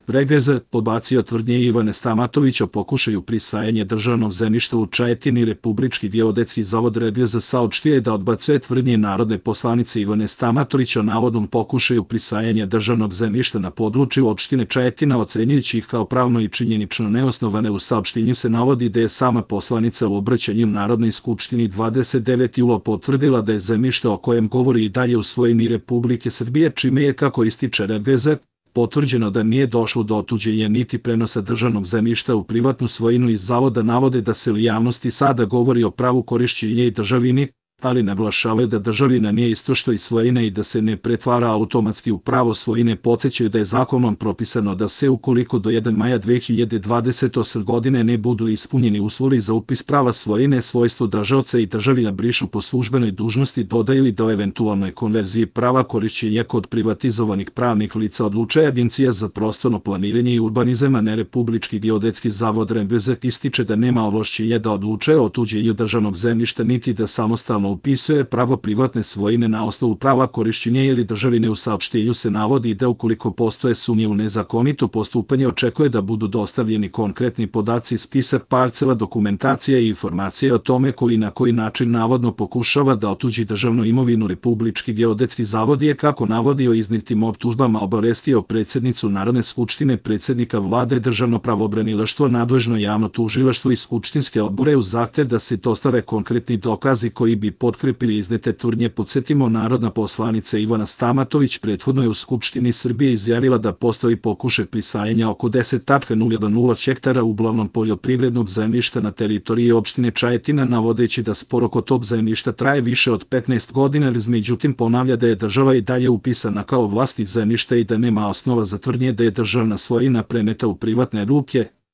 RGZ podbacio tvrdnje Ivane Stamatović o pokušaju prisvajanja državnog zemljišta u Čajetini. Republički geodetski zavod RGZ saopštio je da odbacuje tvrdnje narodne poslanice Ivane Stamatović o navodnom pokušaju prisvajanja državnog zemljišta na području opštine Čajetina, ocenjujući ih kao pravno i činjenično neosnovane. U saopštenju se navodi da je sama poslanica u obraćanju Narodnoj skupštini 29. jula potvrdila da je zemljište o kojem govori i dalje u svojini Republike Srbije, čime je, kako ističe RGZ, potvrđeno da nije došlo do otuđenja niti prenosa državnog zemljišta u privatnu svojinu. Iz zavoda navode da se u javnosti sada govori o pravu korišćenja i državini, ali naglašavaju da državina nije isto što i svojina i da se ne pretvara automatski u pravo svojine. Podsećaju da je zakonom propisano da se, ukoliko do 1. maja 2028. godine ne budu ispunjeni uslovi za upis prava svojine, svojstvo držaoca i državina brišu po službenoj dužnosti, dodaju da o eventualnoj konverziji prava korišćenja kod privatizovanih pravnih lica odlučuje Agencija za prostorno planiranje i urbanizam, a ne Republički geodetski zavod. RGZ ističe da nema ovlašćenja da odlučuje o otuđenju državnog zemljišta niti da samostalno upisuje pravo privatne svojine na osnovu prava korišćenja ili državine. U saopštenju se navodi da ukoliko postoje sumnje u nezakonito postupanje, očekuje da budu dostavljeni konkretni podaci, spisak parcela, dokumentacija i informacije o tome koji na koji način navodno pokušava da otuđi državnu imovinu. Republički geodetski zavod je, kako navodi, o iznijetim optužbama obavestio predsjednicu Narodne skupštine, predsjednika vlade, državno pravobranilaštvo, nadležno javno tužilaštvo i skupštinske odbore uz zahtev da se dostave konkretni dokazi koji bi potkrepili iznete tvrdnje. Podsjetimo, narodna poslanica Ivana Stamatović prethodno je u Skupštini Srbije izjavila da postoji pokušaj prisvajanja oko 10,0 hektara uglavnom poljoprivrednog zemljišta na teritoriji opštine Čajetina, navodeći da spor oko tog zemljišta traje više od 15 godina, ali međutim ponavlja da je država i dalje upisana kao vlasnik zemljišta i da nema osnova za tvrdnje da je državna svojina preneta u privatne ruke.